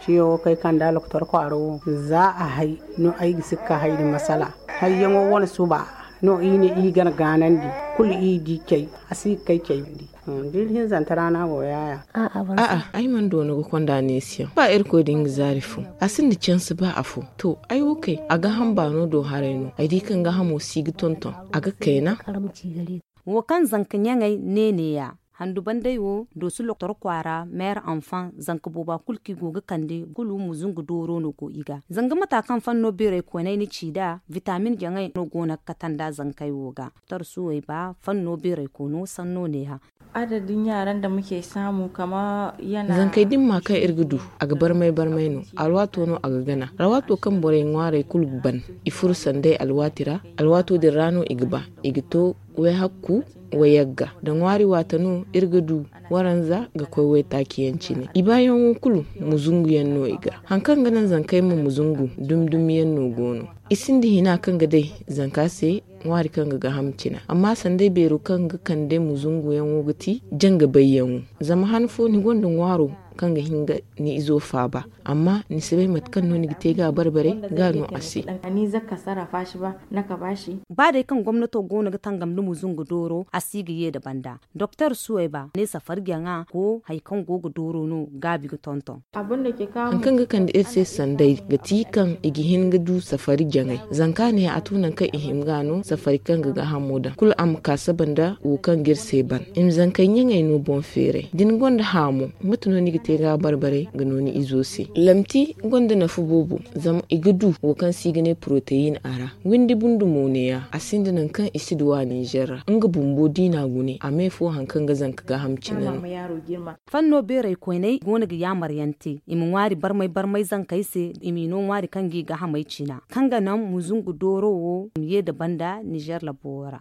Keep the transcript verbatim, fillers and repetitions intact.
Ciyo wo kaŋ ay kand'a lokotor kwaaro wo, za a hay no ay ga si ga ka hay din masala. Hayyaŋo wane suba no i ne i ga gaanandi, kulu i di cay, a si ga kay cayandi. Da iri hinzanta ra no a go yaaya. A'a, ay mana doona ga konda neesiyaŋ ba irkoy din ga zaari fo. A sinda cansi ba afo. To, ay wo kay a ga hamba no do haray no ay di kaŋ ga hamo si ga tonton. A ga kayna. Wo kaŋ zanka ɲaŋey ne neeya. Handu bandey wo doosi lokotor kwaara meer anfaŋ zanka booba kulu kaŋ i go ga kande kulu muzungu dooro no go i ga. Zanga mata kaŋ fanno beeray koonay ni ci nd'a, vitamin jaŋey no go no ga kate nd'a zankey wo ga. Tarsuwey ba fanno beeray koono sanno neeha. Adadin yaran da muke samu kama yana. Zankey din ma kaŋ iri ga du, a ga barmay barmay no. Alwaato no a ga gana. Alwaato kaŋ borey ŋwaarey kulu ga ban, i furo sanday alwaati ra. Alwaato din ra no i ga ba, i ga to wayhakku, wayagga da ŋwaari waata no iri ga du. Waranza ga koy waytaaci yaŋ cine i baayaŋo kulu, muzungu yaŋ no i ga. Haŋ kaŋ ga naŋ zankey ma muzungu, dumi dumi yaŋ no go no. I sinda hina kaŋ ga day zanka se ŋwaari kaŋ ga gaaham cina. Amma sanday beero kaŋ ga kande muzunguyaŋo ga ti janga bayyaŋo. Zama han fo ni gonda ŋwaaro kaŋ ga hin ga ni izo faaba, amma ni si bay mate kaŋ no ni ga te ga a barbare ga no a se. Ba day kaŋ gomnato go no ga tangam nda muzungu dooro a si ga ye nda banda. Doktor suwayba ne safari jaŋa go hari kaŋ go ga dooro no gaabi ga tonton. Haŋ kaŋ ga kande iri se sanday ga ti kaŋ i ga hin ga du safari jaŋay. Zanka ne a to nangu kaŋ i hima ga no safari kaŋ ga gaahamo daŋ kulu a ma ka saba nda wo kaŋ ga iri se ban. I ma zankey ɲaŋey no boŋ feeray da ni gonda haamo, mate no ni ga te ga a barbarey ga no ni izo se? Lamti gonda nafa boobo, zama i ga du wo kaŋ se i ga ne poroteyin a ra. Windi bundu mo neeya, a sinda nangu kaŋ i si duw'a ninzeer ra. Nga bumbo diina gune a me fo haŋ kaŋ ga zanka gaaham cine no. Fanno beeray koyney go no ga yaamaryaŋ te i ma ŋwaari barmay barmay zankey se, i m'i no ŋwaari kaŋ g'i gaahamey cina kaŋ ga naŋ muzungu dooro wo ma ye nda banda ninzeer labo ra.